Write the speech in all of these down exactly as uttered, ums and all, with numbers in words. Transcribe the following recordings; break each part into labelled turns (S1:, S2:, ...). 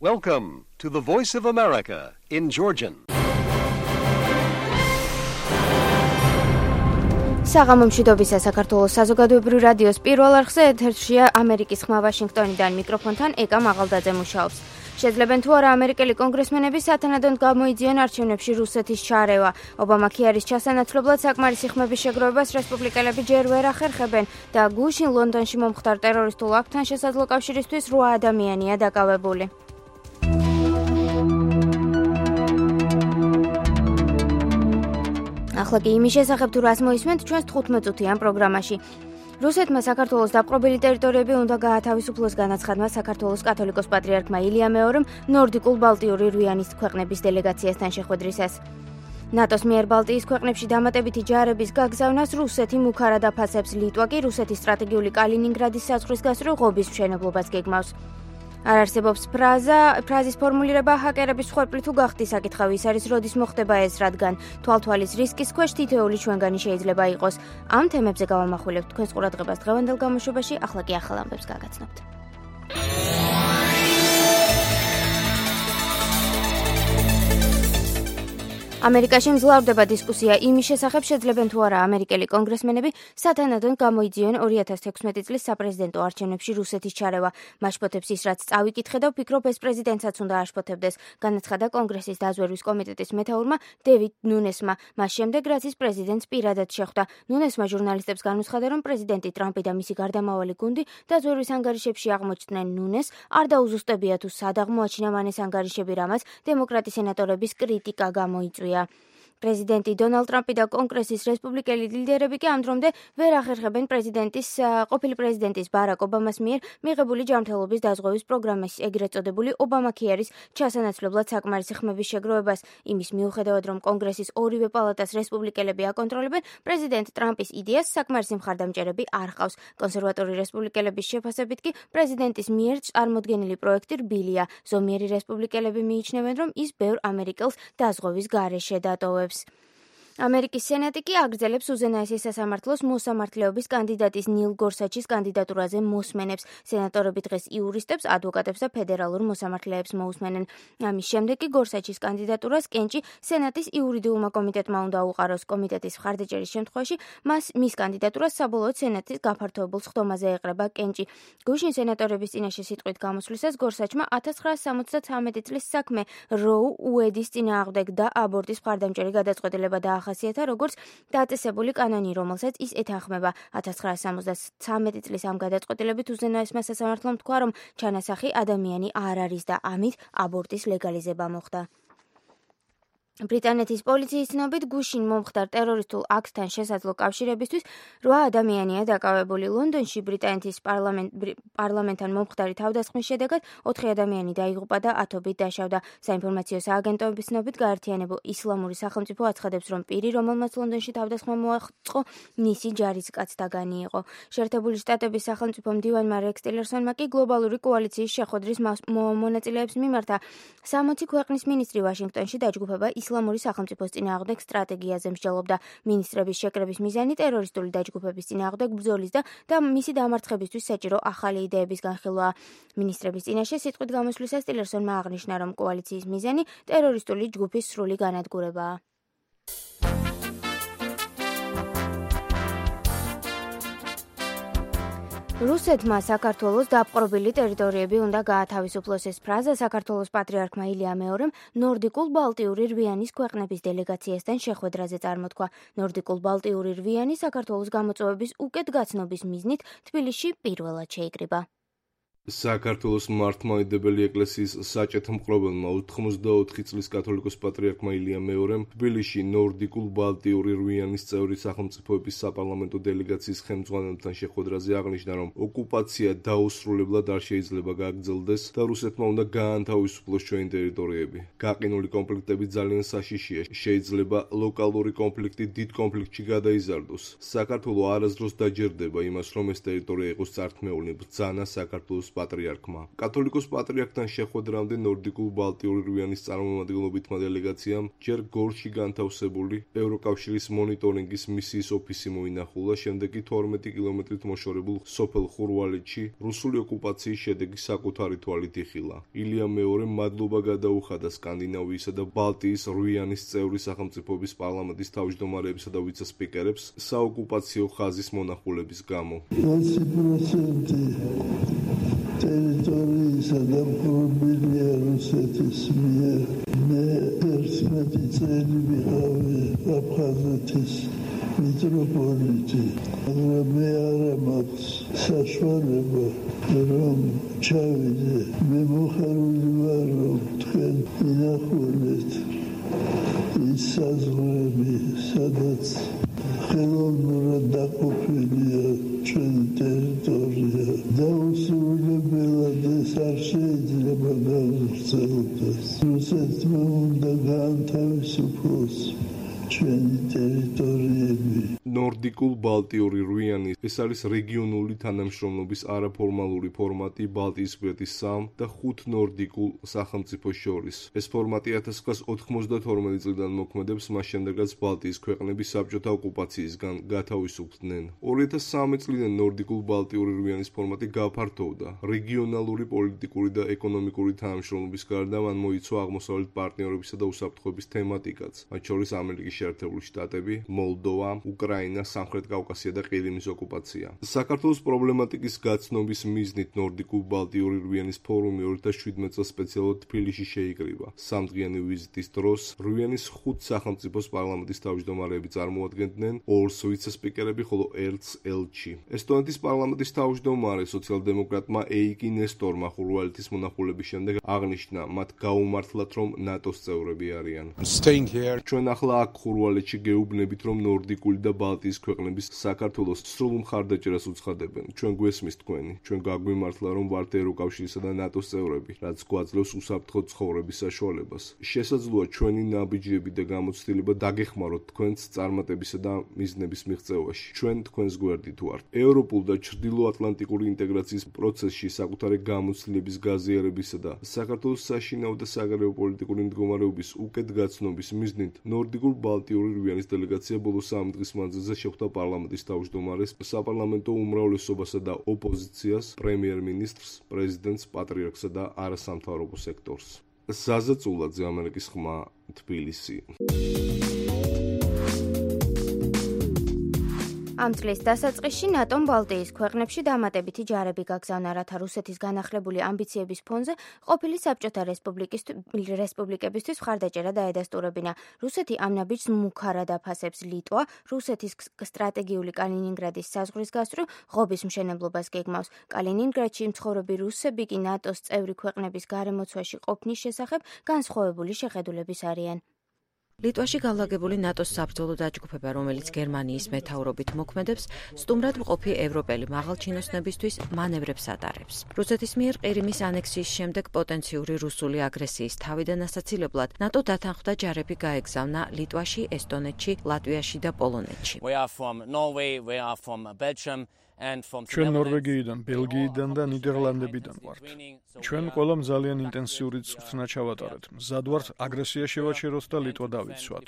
S1: Welcome to the Voice of America in Georgian.
S2: საღამო მშვიდობისა საქართველოს საზოგადოებრივ რადიოს პირველ არხზე ეთერშია ამერიკის ხმა ვაშინგტონიდან მიკროფონთან ეკა მაღალდაძე მუშაობს. Შეძლებენ თუ არა ამერიკელი კონგრესმენები სათანადოდ გამოიძიონ არჩევნებში რუსეთის ჩარევა. ობამა ქიარის ჩასანაცვლებლად საკმარისი ხმების შეგროვებას რესპუბლიკელები ჯერ ვერ ახერხებენ და გუშინ ლონდონში მომხდარ ტერორისტულ აქტთან შესაძლო კავშირისთვის რვა ადამიანია დაკავებული. ახლა კი იმის შესახებ თუ რას მოისმენთ ჩვენს თხუთმეტ წუთიან პროგრამაში. რუსეთმა საქართველოს დაპყრობილი ტერიტორიები უნდა გაათავისუფლოს განაცხადმა საქართველოს კათოლიკოს პატრიარქმა ილია მეორემ ნორდიკულ ბალტიური რვიანის ქვეყნების დელეგაციასთან შეხვედრისას. ნატოს მიერ ბალტიის ქვეყნებში დამატებითი ჯარების გაგზავნას რუსეთი მუქარად აფასებს, ლიტვა კი რუსეთის სტრატეგიული კალინინგრადის საზღვრის გასწვრივ ღობის მშენებლობას გეგმავს. არ არსებობს ფრაზა, ფრაზის ფორმულირება ჰაკერების მსხვერპლი თუ გახდი საკითხავი ის არის, როდის მოხდება ეს, რადგან თვალთვალის რისკის ქვეშ თითოეული ჩვენგანი შეიძლება იყოს. ამ თემებზე გავამახვილებთ თქვენს ყურადღებას დღევანდელ გამოშვებაში, ახლა კი ახალ ამბებს გაგაცნობთ. ამერიკაში მძლავრდება დისკუსია იმის შესახებ, შეძლებენ თუ არა ამერიკელი კონგრესმენები სათანადოდ გამოიძიონ ორი ათას თექვსმეტი წლის საპრეზიდენტო არჩევნებში რუსეთის ჩარევა. მაშფოთებს ის, რაც წავიკითხე და ვფიქრობ, ეს პრეზიდენტსაც უნდა აშფოთებდეს, განაცხადა კონგრესის დაზვერვის კომიტეტის მეთაურმა დევიდ ნუნესმა, მას შემდეგ, რაც ის პრეზიდენტს პირადად შეხვდა. ნუნესმა ჟურნალისტებს განუცხადა, რომ პრეზიდენტი ტრამპი და მისი გარდამავალი გუნდი დაზვერვის ანგარიშებში აღმოჩნდნენ ნუნესს, არ დაუზუსტებია თუ სად აღმოაჩინა მან ეს ანგარიშები, რამაც დემოკრატი სენატორების კრიტიკა გამოიწვია. პრეზიდენტი დონალდ ტრამპი და კონგრესის რესპუბლიკელი ლიდერები კი ამ დრომდე ვერ ახერხებენ პრეზიდენტის ყოფილი პრეზიდენტის ბარაკ ობამას მიერ მიღებული ჯანმრთელობის დაზღვევის პროგრამის, ეგრეთ წოდებული ობამა ქიარის ჩასანაცვლებლად საკმარისი ხმების შეგროვებას. იმის მიუხედავად, რომ კონგრესის ორივე პალატას რესპუბლიკელები აკონტროლებენ, პრეზიდენტ ტრამპის იდეას საკმარისი მხარდამჭერები არ ჰყავს. კონსერვატორი რესპუბლიკელების შეფასებით კი პრეზიდენტის მიერ წარმოდგენილი პროექტი რბილია. ზომიერი რესპუბლიკელები მიიჩნევენ, რომ ის ბევრ ამერიკელს დაზღვევის გარეშე დატოვებს. ამერიკის სენატი კი აგრძელებს უზენაესის სასამართლოს მოსამართლეობის კანდიდატის ნილ გორსაჩის კანდიდატურაზე მოსმენებს. სენატორები დღეს იურისტებს, ადვოკატებს და ფედერალურ მოსამართლეებს მოусმენენ. ამის შემდეგ კი გორსაჩის კანდიდატურას კენჭი სენატის იურიდიულმა კომიტეტმა უნდა უყაროს. კომიტეტის მხარდაჭერის შემთხვევაში მას მის კანდიდატურას საბოლოოდ სენატის გაფართოებულ სხდომაზე ეყრება კენჭი. გუშინ სენატორების წინაშე სიტყვით გამოსვლისას გორსაჩმა ათას ცხრაას სამოცდათამეტი წლის საქმე როუ უედის წინააღმდეგ და აბორტის მხარდამჭერი გადაწყვეტილება და ახასიათა როგორც დაწესებული კანონი, რომელსაც ის ეთანხმება. ათას ცხრაას სამოცდათამეტი წლის ამ გადაწყვეტილებით უზენაესმა სასამართლომ თქვა, რომ ჩანასახი ადამიანი არ არის და ამით აბორტის ლეგალიზება მოხდა. ბრიტანეთის პოლიციის ცნობით გუშინ მომხდარ ტერორისტულ აქტთან შესაძლო კავშირებისთვის რვა ადამიანია დაკავებული. ლონდონში ბრიტანეთის პარლამენტთან მომხდარი თავდასხმის შედეგად ოთხი ადამიანი დაიღუპა და ათობით დაშავდა. საინფორმაციო სააგენტოების ცნობით გაერთიანებულ ისლამური სახელმწიფო აცხადებს, რომ პირი, რომელმაც ლონდონში თავდასხმა მოაწყო, მისი ჯარისკაცთაგანი იყო. შეერთებული შტატების სახელმწიფო მდივანმა რექს ტილერსონმა კი გლობალური კოალიციის შეხვედრის მონაწილეებს მიმართა სამოცი ქვეყნის მინისტრი ვაშინგტონში დაჯგუფება ისლამური სახელმწიფოს წინააღმდეგ სტრატეგიაზე მსჯელობდა. მინისტრების შეკრების მიზანი ტერორისტული დაჯგუფების წინააღმდეგ ბრძოლის და და მისი დამარცხებისთვის საჭირო ახალი იდეების განხილვაა. მინისტრების წინაშე სიტყვით გამოსვლისას ტილერსონმა აღნიშნა, რომ კოალიციის მიზანი ტერორისტული ჯგუფის სრული განადგურებაა. რუსეთმა საქართველოს დაპყრობილი ტერიტორიები უნდა გაათავისუფლოს. ეს ფრაზა საქართველოს პატრიარქმა ილია მეორემ ნორდიკულ ბალტიური რვიანის ქვეყნების დელეგაციასთან შეხვედრაზე წარმოთქვა. ნორდიკულ ბალტიური რვიანი საქართველოს გამოწვევების უკეთ გაცნობის მიზნით თბილისში პირველად შეიკრიბა.
S3: საქართველოს მართლმადიდებელი ეკლესიის საჭეთ-მკრობელმა ოთხმოცდაოთხი წლის კათოლიკოს პატრიარქმა ილია მეორემ თბილისში ნორდიკულ ბალტიური რვიანის წევრი სახელმწიფოების საპარლამენტო დელეგაციის ხელმძღვანელთან შეხვედრაზე აღნიშნა, რომ ოკუპაცია დაუსრულებლად არ შეიძლება გაგრძელდეს და რუსეთმა უნდა გაანთავისუფლოს ჩვენი ტერიტორიები. გაყინული კონფლიქტები ძალიან საშიშია. შეიძლება ლოკალური კონფლიქტი დიდ კონფლიქტში გადაიზარდოს. საქართველო არასდროს დაჯერდება იმას, რომ ეს ტერიტორია იყოს წართმეული ბრძანა საქართველოს პატრიარქმა. კათოლიკოს პატრიარქთან შეხვედრამდე ნორდიკულ ბალტიური რვიანის წარმომადგენლობითმა დელეგაციამ ჯერ გორში განთავსებული ევროკავშირის მონიტორინგის მისიის ოფისი მოინახულა, შემდეგ კი თორმეტი კილომეტრით მოშორებულ სოფელ ხურვალეთში რუსული ოკუპაციის შედეგი საკუთარი თვალით იხილა. ილიამ მეორემ მადლობა გადაუხადა სკანდინავიისა და ბალტიის რვიანის წევრი სახელმწიფოების პარლამენტის თავმჯდომარეებსა და ვიცე-სპიკერებს საოკუპაციო ხაზის მონახულების გამო.
S4: ოცი პროცენტი ტერიტორიისა დამხრობილია რუსეთის მიერ. მე ერთმეტი წელი ვიყავი აფხაზეთის მიტროპოლიტი, მაგრამ მე არა მაქვს საშუალება რომ ჩავიდე. მე მოხარული ვარ, რომ თქვენ ინახულეთ ის საზღვრები, სადაც ხელოვნურად დაყოფილია ჩვენი ტერიტორია. დაუსრულებლად ეს არ შეიძლება გავგრძელდეს. რუსეთმა უნდა გაანთავისუფლოს ჩვენი ტერიტორიები.
S3: ნორდიკულ ბალტიური რვიანი ეს არის რეგიონული თანამშრომლობის არაფორმალური ფორმატი ბალტიის გვერდის სამ და ხუთ ნორდიკულ სახელმწიფოს შორის. ეს ფორმატი ათას ცხრაასა ოთხმოცდათორმეტი წლიდან მოქმედებს, მას შემდეგაც ბალტიის ქვეყნები საბჭოთა ოკუპაციისგან გათავისუფლდნენ. ორი ათას სამი წლიდან ნორდიკულ ბალტიური რვიანის ფორმატი გაფართოვდა. რეგიონალური, პოლიტიკური და ეკონომიკური თანამშრომლობის გარდა მან მოიცვა აღმოსავლეთ პარტნიორებისა და უსაფრთხოების თემატიკაც, მათ შორის ამერიკის შეერთებული შტატები, მოლდოვა, უკრაინა, სამხრეთ კავკასია და ყირიმის ოკუპაცია. საქართველოს პრობლემატიკის გაცნობის მიზნით ნორდიკულ ბალტიური რვიანის ფორუმი ორი ათას შვიდმეტ წელს სპეციალურად თბილისში შეიკრიბა. სამდღიანი ვიზიტის დროს რვიანის ხუთ სახელმწიფოს პარლამენტის თავმჯდომარეები წარმოადგენდნენ, ორს ვიცე-სპიკერები, ხოლო ერთს ელჩი. ესტონეთის პარლამენტის თავმჯდომარე სოციალ-დემოკრატმა ეიკი ნესტორმა ხურვალეთის მონახულების შემდეგ აღნიშნა, მათ გაუმართლათ, რომ ნატოს წევრები არიან. ჩვენ ახლა აქ ხურვალეთში გეუბნებით, რომ ნორდიკული და ბალტიის ქვეყნების საქართველოს სრულ მხარდაჭერას უცხადებენ. ჩვენ გვესმის თქვენი, ჩვენ გაგვიმართლა, რომ ვართ ევროკავშირისა და ნატოს წევრები, რაც გვაძლევს უსაფრთხო ცხოვრების საშუალებას. შესაძლოა ჩვენი ნაბიჯები და გამოცდილება დაგეხმაროთ თქვენს წარმატებისა და მიზნების მიღწევაში. ჩვენ თქვენს გვერდით ვართ. ევროპულ და ჩრდილოატლანტიკური ინტეგრაციის პროცესში საკუთარი გამოცდილების გაზიარებისა და საქართველოს საშინაო და საგარეო პოლიტიკური მდგომარეობის უკეთ გაცნობის მიზნით ნორდიკულ ბალტიური რვიანის დელეგაცია ბოლო სამი დღის მანძილზე შეხვდა პარლამენტის თავმჯდომარეს, საპარლამენტო უმრავლესობასა და ოპოზიციას, პრემიერ-მინისტრს, პრეზიდენტს, პატრიარქსა და არასამთავრობო სექტორს. ზაზა წულაძე, ამერიკის ხმა, თბილისი.
S2: ამ წლის დასაწყისში ნატომ ბალტიის ქვეყნებში დამატებითი ჯარები გაგზავნა, რათა რუსეთის განახლებული ამბიციების ფონზე ყოფილი საბჭოთა რესპუბლიკებისთვის მხარდაჭერა დაედასტურებინა. რუსეთი ამ ნაბიჯს მუქარად აფასებს. ლიტვა რუსეთის სტრატეგიული კალინინგრადის საზღვრის გასწვრივ ღობის მშენებლობას გეგმავს. კალინინგრადში მცხოვრები რუსები კი ნატოს წევრი ქვეყნების გარემოცვაში ყოფნის შესახებ განსხვავებული შეხედულების არიან.
S5: ლიტვაში განლაგებული ნატოს საბრძოლო დაჯგუფება, რომელიც გერმანიის მეთაურობით მოქმედებს, სტუმრად მყოფი ევროპელი მაღალჩინოსნებისთვის მანევრებს ატარებს. რუსეთის მიერ ყირიმის ანექსიის შემდეგ პოტენციური რუსული აგრესიის თავიდან ასაცილებლად ნატო დათანხმდა ჯარები გაეგზავნა ლიტვაში, ესტონეთში, ლატვიაში და პოლონეთში.
S6: ჩვენ ნორვეგიიდან, ბელგიიდან და ნიდერლანდებიდან ვართ. ჩვენ ყველამ ძალიან ინტენსიური წვრთნა ჩავატარეთ. მზად ვართ აგრესია შევაჩეროთ და ლიტვა დავიცვათ.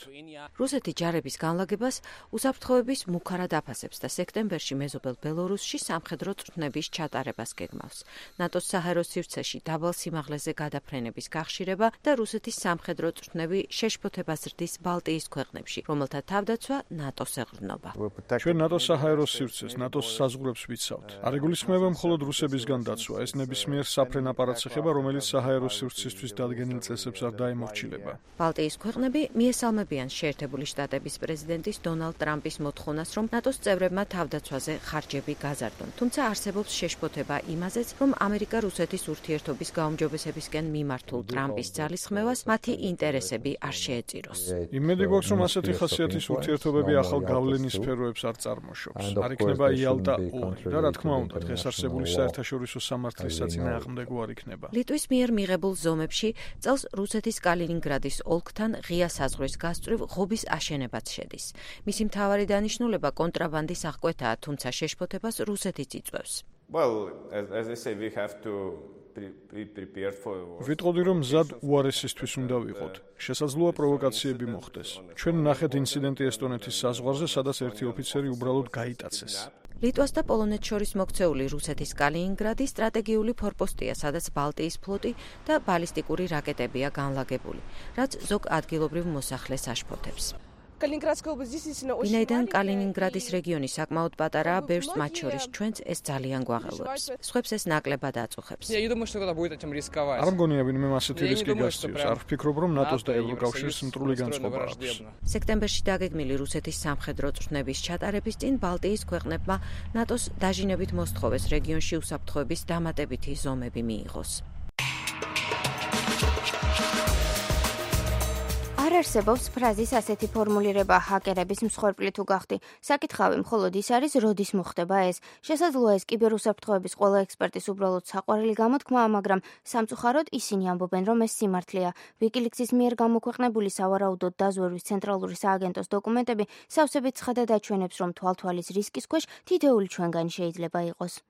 S5: რუსეთი ჯარების განლაგებას უსაფრთხოების მუქარად აფასებს და სექტემბერში მეზობელ ბელორუსში სამხედრო წვრთნების ჩატარებას გეგმავს. ნატოს საჰაერო სივრცეში დაბალ სიმაღლეზე გადაფრენების გახშირება და რუსეთის სამხედრო წვრთნები შეშფოთებას ზრდის ბალტიის ქვეყნებში, რომელთა თავდაცვა ნატოს ეღრდნობა.
S6: ჩვენ ნატოს საჰაერო სივრცეს, ნატოს საზღვრებს ვიცავთ. არ იგულისხმება მხოლოდ რუსებისგან დაცვა, ეს ნებისმიერ საფრენ აპარატს ეხება, რომელიც საჰაერო სივრცისთვის დადგენილ წესებს არ დაემორჩილება.
S5: ბალტიის ქვეყნები მიესალმებიან შეერთებული შტატების პრეზიდენტის დონალდ ტრამპის მოთხოვნას, რომ ნატოს წევრებმა თავდაცვაზე ხარჯები გაზარდონ. თუმცა არსებობს შეშფოთება იმაზეც, რომ ამერიკა რუსეთის ურთიერთობის გაუმჯობესებისკენ მიმართულ ტრამპის ძალისხმევას მათი ინტერესები არ შეეწიროს.
S6: იმედი გვაქვს, რომ ასეთი ხასიათის ურთიერთობები ახალ გავლენის სფეროებს არ წარმოშობს. არ იქნება იალტა ორი და რა თქმა უნდა, დღეს არსებული საერთაშორისო სამართლის საწინააღმდეგო არ იქნება.
S5: ლიტვის მიერ მიღებულ ზომებში წელს რუსეთის კალინინგრადის ოლქთან ღია საზღვრის გასწვრივ ღობის აშენებაც შედის. მისი მთავარი დანიშნულება კონტრაბანდის აღკვეთაა, თუმცა შეშფოთებას რუსეთიც იწვევს.
S7: Well, as, as I say, we have to
S6: ვიტყოდი რომ მზად უარესისთვის უნდა ვიყოთ. შესაძლოა პროვოკაციები მოხდეს. ჩვენ ნახეთ ინციდენტი ესტონეთის საზღვარზე, სადაც ერთი ოფიცერი უბრალოდ გაიტაცეს.
S5: ლიტვას და პოლონეთს შორის მოქცეული რუსეთის კალინინგრადი სტრატეგიული ფორპოსტია, სადაც ბალტიის ფლოტი და ბალისტიკური რაკეტებია განლაგებული, რაც ზოგ ადგილობრივ მოსახლეს აშფოთებს. ვინაიდან კალინინგრადის რეგიონი საკმაოდ პატარაა, ბევრს მათ შორის ჩვენც ეს ძალიან გვაღელვებს. სხვებს ეს ნაკლებად აწუხებს.
S6: არ მგონია ვინმე ასეთი რისკი გასწევს. არ ვფიქრობ, რომ ნატოს და ევროკავშირის მტრული განწყობა აქვს.
S5: სექტემბერში დაგეგმილი რუსეთის სამხედრო წვრთნების ჩატარების წინ ბალტიის ქვეყნებმა ნატოს დაჟინებით მოსთხოვეს რეგიონში უსაფრთხოების დამატებითი ზომები მიიღოს.
S2: არ არსებობს ფრაზის ასეთი ფორმულირება ჰაკერების მსხვერპლი თუ გახდი. საკითხავი მხოლოდ ის არის, როდის მოხდება ეს. შესაძლოა ეს კიბერუსაფრთხოების ყველა ექსპერტის უბრალოდ საყვარელი გამოთქმაა, მაგრამ სამწუხაროდ ისინი ამბობენ, რომ ეს სიმართლეა. ვიკილიქსის მიერ გამოქვეყნებული სავარაუდოდ დაზვერვის ცენტრალური სააგენტოს დოკუმენტები სავსებით ცხადად აჩვენებს, რომ თვალთვალის რისკის ქვეშ თითოეული ჩვენგანი შეიძლება იყოს.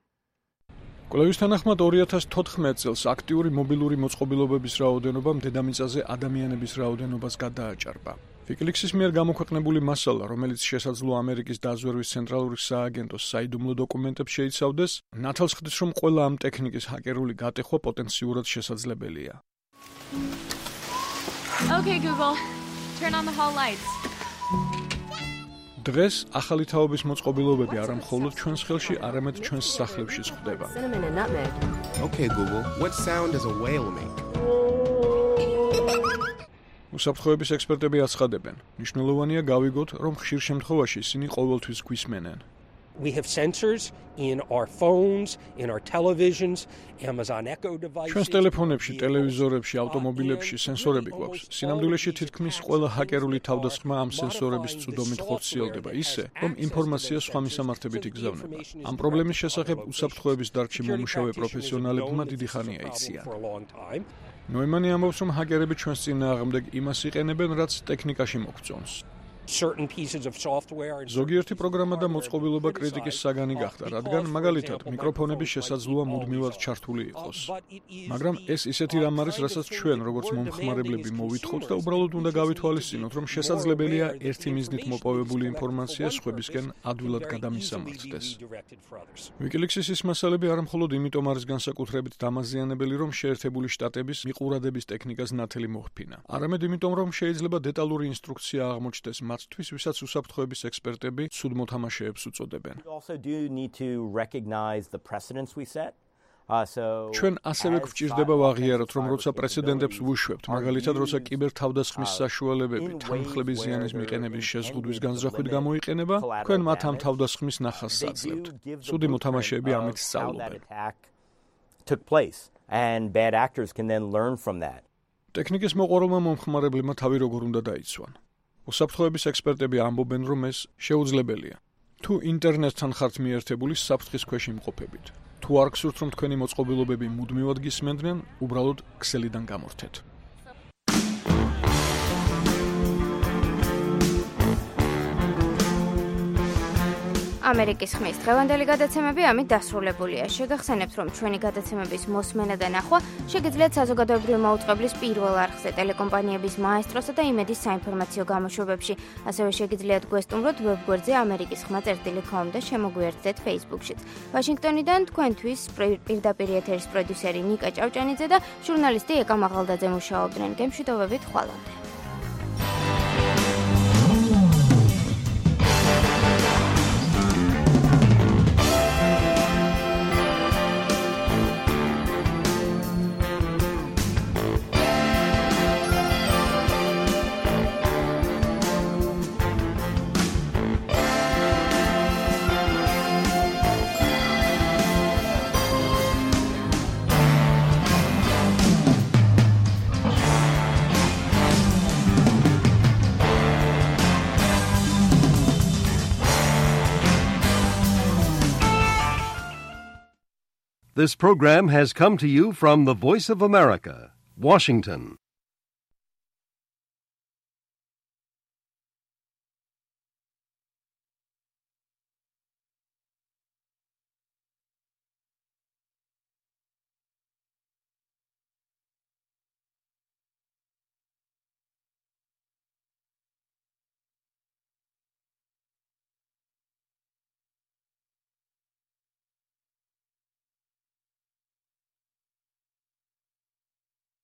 S6: კვლევის თანახმად ორი ათას თოთხმეტ წელს აქტიური მობილური მოწყობილობების რაოდენობამ დედამიწაზე ადამიანების რაოდენობას გადააჭარბა. ვიკილიქსის მიერ გამოქვეყნებული მასალა, რომელიც შესაძლოა ამერიკის დაზვერვის ცენტრალური სააგენტოს საიდუმლო დოკუმენტებს შეიცავდეს, ნათელს ხდის, რომ ყველა ამ ტექნიკის ჰაკერული გატეხვა პოტენციურად შესაძლებელია.
S8: Okay, Google. Turn on the hall lights.
S6: დღეს ახალი თაობის მოწყობილობები არა მხოლოდ ჩვენს ხელში, არამედ ჩვენს სახლებშიც ხდება.
S9: Okay, Google. What sound does a whale make?
S6: უსაფრთხოების ექსპერტები აცხადებენ, მნიშვნელოვანია გავიგოთ, რომ ხშირ შემთხვევაში ისინი ყოველთვის გვისმენენ.
S10: We have sensors in our phones, in our televisions, Amazon Echo devices.
S6: ჩვენს ტელეფონებში, ტელევიზორებში, ავტომობილებში სენსორები გვაქვს. სინამდვილეში თითქმის ყველა ჰაკერული თავდასხმა ამ სენსორების წვდომით ხორციელდება ისე, რომ ინფორმაცია სხვა მისამართებით იგზავნება. ამ პრობლემის შესახებ უსაფრთხოების დარგში მომუშავე პროფესიონალებმა დიდი ხანია იციან. ნოიმანი ამბობს, რომ ჰაკერები ჩვენს წინააღმდეგ იმას იყენებენ, რაც ტექნიკაში მოგწონს.
S10: Certain pieces of software.
S6: ზოგიერთი პროგრამა და მოწყობილობა კრიტიკის საგანი გახდა, რადგან მაგალითად მიკროფონები შესაძლოა მუდმივად ჩართული იყოს. მაგრამ ეს ისეთი რამ არის, რასაც ჩვენ, როგორც მომხმარებლები, მოვითხოვთ და უბრალოდ უნდა გავითვალისწინოთ, რომ შესაძლებელია ერთი მიზნით მოპოვებული ინფორმაცია სხვებისკენ ადვილად გადამისამართდეს. ვიკილიქსის ის მასალები არა მხოლოდ იმიტომ არის განსაკუთრებით დამაზიანებელი, რომ შეერთებული შტატების მიყურადების ტექნიკას ნათელი მოჰფინა, არამედ იმიტომ, რომ შეიძლება დეტალური ინსტრუქცია აღმოჩნდეს მათთვის, ვისაც უსაფრთხოების ექსპერტები ცუდ მოთამაშეებს უწოდებენ. ჩვენ ასევე გვჭირდება ვაღიაროთ, რომ როცა პრეცედენტებს ვუშვებთ, მაგალითად, როცა კიბერთავდასხმის საშუალებები თანხლების ზიანის მიყენების შეზღუდვის განზრახვით გამოიყენება, თქვენ მათ ამ თავდასხმის ნახას საძლევთ. ცუდი მოთამაშეები ამით სწავლობენ. ტექნიკის მოყვარულმა მომხმარებლებმა თავი როგორ უნდა დაიცვან. უსაფრთხოების ექსპერტები ამბობენ, რომ ეს შეუძლებელია. თუ ინტერნეტთან ხართ მიერთებული საფრთხის ქვეშ იმყოფებით. თუ არ გსურთ, რომ თქვენი მოწყობილობები მუდმივად გისმენდნენ, უბრალოდ ქსელიდან გამორთეთ.
S2: ამერიკის ხმის დღევანდელი გადაცემები ამით დასრულებულია. შეგახსენებთ, რომ ჩვენი გადაცემების მოსმენა და ნახვა შეგიძლიათ საზოგადოებრივი მაუწყებლის პირველ არხზე, ტელეკომპანიების მაესტროსა და იმედის საინფორმაციო გამოშვებებში. ასევე შეგიძლიათ გვესტუმროთ ვებგვერდზე ამერიკის ხმა წერტილი კომ და შემოგვიერთდეთ Facebook-შიც. ვაშინგტონიდან თქვენთვის პირდაპირ ეთერის პროდიუსერი ნიკა ჭავჭანიძე და ჟურნალისტი ეკა მაღალდაძე მუშაობდნენ. გემშვიდობებით ხვალამდე.
S1: This program has come to you from the Voice of America, Washington.